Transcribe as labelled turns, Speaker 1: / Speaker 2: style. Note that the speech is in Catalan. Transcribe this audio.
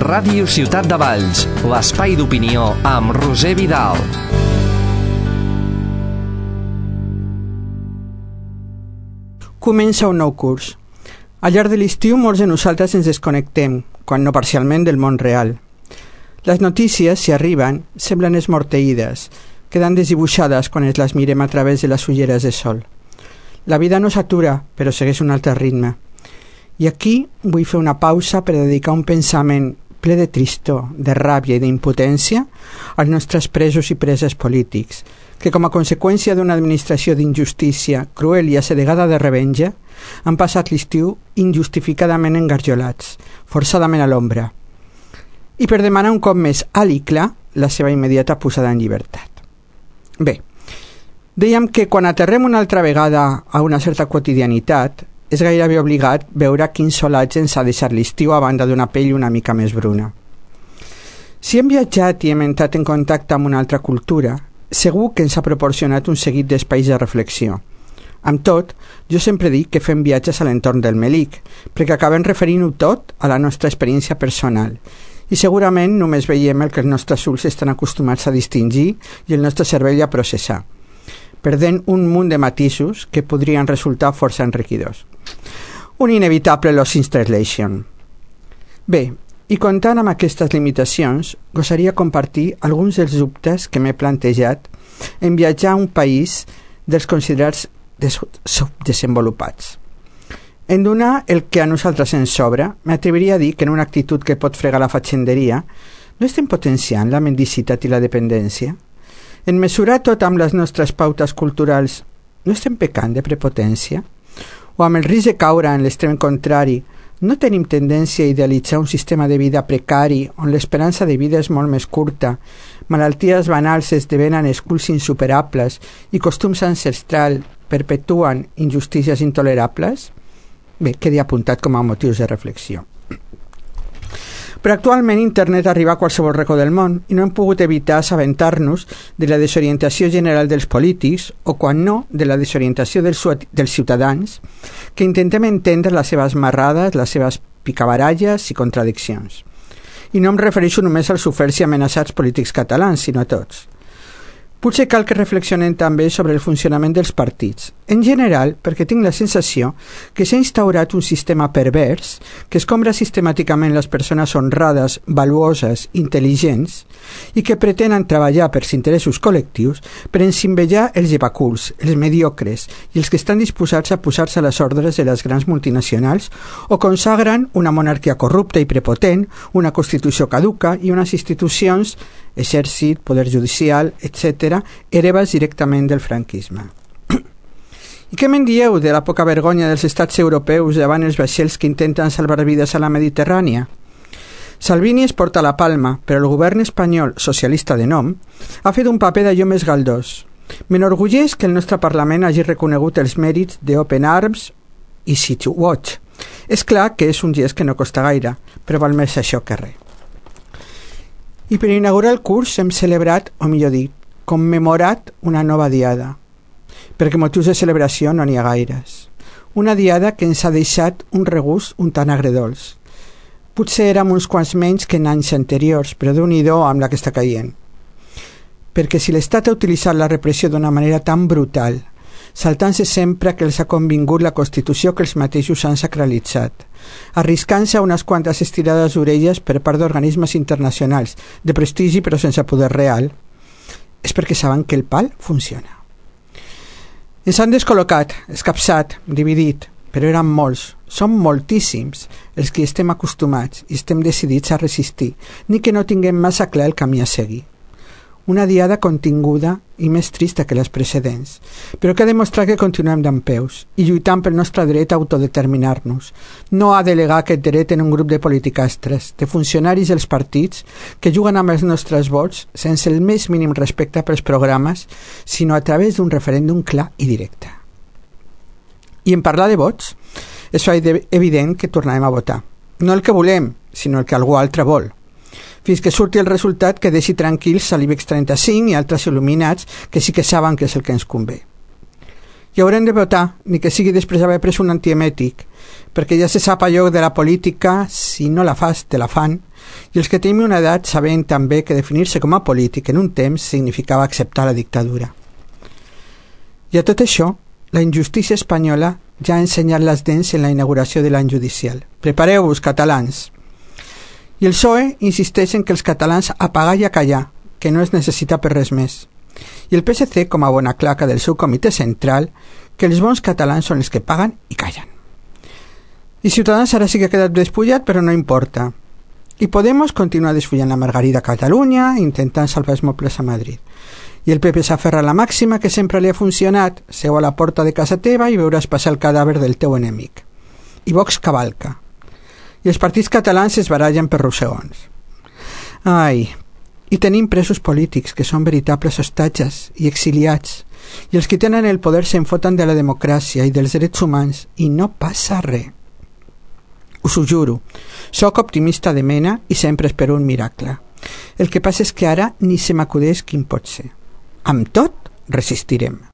Speaker 1: Ràdio Ciutat de Valls, l'espai d'opinió amb Roser Vidal.
Speaker 2: Comença un nou curs. Al llarg de l'estiu molts de nosaltres ens desconnectem, quan no parcialment, del món real. Les notícies, si arriben, semblen esmorteïdes, queden desdibuixades quan ens les mirem a través de les ulleres de sol. La vida no s'atura, però segueix un altre ritme. I aquí vull fer una pausa per dedicar un pensament ple de tristor, de ràbia i d'impotència als nostres presos i preses polítics, que com a conseqüència d'una administració d'injustícia cruel i assedegada de revenja han passat l'estiu injustificadament engarjolats, forçadament a l'ombra, i per demanar un cop més alt i clar la seva immediata posada en llibertat. Bé, dèiem que quan aterrem una altra vegada a una certa quotidianitat és gairebé obligat veure quins solats ens ha deixat l'estiu a banda d'una pell una mica més bruna. Si hem viatjat i hem entrat en contacte amb una altra cultura, segur que ens ha proporcionat un seguit d'espais de reflexió. Amb tot, jo sempre dic que fem viatges a l'entorn del Melic, perquè acabem referint-ho tot a la nostra experiència personal, i segurament només veiem el que els nostres ulls estan acostumats a distingir i el nostre cervell a processar, perdent un munt de matisos que podrien resultar força enriquidors. Un inevitable lost in translation. Bé, i comptant amb aquestes limitacions, gosaria compartir alguns dels dubtes que m'he plantejat en viatjar a un país dels considerats subdesenvolupats. En donar el que a nosaltres ens sobra, m'atreviria a dir que en una actitud que pot fregar la fatxenderia, no estem potenciant la mendicitat i la dependència? En mesurar tot amb les nostres pautes culturals, no estem pecant de prepotència? O amb el risc de caure en l'extrem contrari, no tenim tendència a idealitzar un sistema de vida precari on l'esperança de vida és molt més curta, malalties banals esdevenen esculls insuperables i costums ancestrals perpetuen injustícies intolerables? Bé, quedi apuntat com a motius de reflexió. Però actualment internet arriba a qualsevol racó del món i no hem pogut evitar assabentar-nos de la desorientació general dels polítics o, quan no, de la desorientació dels ciutadans que intentem entendre les seves marrades, les seves picabaralles i contradiccions. I no em refereixo només als oferts i amenaçats polítics catalans, sinó a tots. Potser cal que reflexionem també sobre el funcionament dels partits, en general perquè tinc la sensació que s'ha instaurat un sistema pervers que escombra sistemàticament les persones honrades, valuoses, intel·ligents i que pretenen treballar pels interessos col·lectius per ensimbejar els llevaculs, els mediocres i els que estan disposats a posar-se a les ordres de les grans multinacionals o consagren una monarquia corrupta i prepotent, una constitució caduca i unes institucions, exèrcit, poder judicial, etc., hereves directament del franquisme. I què me'n dieu de la poca vergonya dels estats europeus davant els vaixells que intenten salvar vides a la Mediterrània? Salvini es porta la palma, però el govern espanyol, socialista de nom, ha fet un paper d'allò més galdós. M'enorgulleix que el nostre Parlament hagi reconegut els mèrits d'Open Arms i Sea-Watch. És clar que és un gest que no costa gaire, però val més això que res. I per inaugurar el curs hem celebrat, o millor dit, commemorat una nova diada, perquè motius de celebració no n'hi ha gaires. Una diada que ens ha deixat un regust un tant agredolç. Potser érem uns quants menys que en anys anteriors, però Déu-n'hi-do amb la que està caient. Perquè si l'Estat ha utilitzat la repressió d'una manera tan brutal, saltant-se sempre que els ha convingut la Constitució que els mateixos han sacralitzat, arriscant-se a unes quantes estirades d'orelles per part d'organismes internacionals, de prestigi però sense poder real, és perquè saben que el pal funciona. Ens han descol·locat, escapçat, dividit, però eren molts, som moltíssims els que estem acostumats i estem decidits a resistir, ni que no tinguem massa clar el camí a seguir. Una diada continguda i més trista que les precedents, però que ha demostrat que continuem dempeus i lluitant pel nostre dret a autodeterminar-nos, no a delegar aquest dret en un grup de politicastres, de funcionaris dels partits que juguen amb els nostres vots sense el més mínim respecte pels programes, sinó a través d'un referèndum clar i directe. I en parlar de vots, és evident que tornarem a votar. No el que volem, sinó el que algú altre vol. Fins que surti el resultat que deixi tranquils a l'IBEX 35 i altres il·luminats que sí que saben que és el que ens convé. I haurem de votar, ni que sigui després d'haver pres un antiemètic, perquè ja se sap allò de la política, si no la fas, te la fan, i els que tenim una edat sabem també que definir-se com a polític en un temps significava acceptar la dictadura. I a tot això, la injustícia espanyola ja ha ensenyat les dents en la inauguració de l'any judicial. Prepareu-vos, catalans! I el PSOE insisteix en que els catalans a pagar i a callar, que no es necessita per res més. I el PSC, com a bona claca del seu comitè central, que els bons catalans són els que paguen i callen. I Ciutadans ara sí que ha quedat despullat, però no importa. I Podemos continua desfullant la Margarida a Catalunya, intentant salvar els mobles a Madrid. I el PP s'aferra a la màxima que sempre li ha funcionat: seu a la porta de casa teva i veuràs passar el cadàver del teu enemic. I Vox cavalca. I els partits catalans es barallen per rossegons. Ai, i tenim presos polítics que són veritables hostatges i exiliats, i els que tenen el poder se'n foten de la democràcia i dels drets humans i no passa res. Us ho juro, sóc optimista de mena i sempre espero un miracle. El que passa és que ara ni se m'acudeix quin pot ser. Amb tot, resistirem.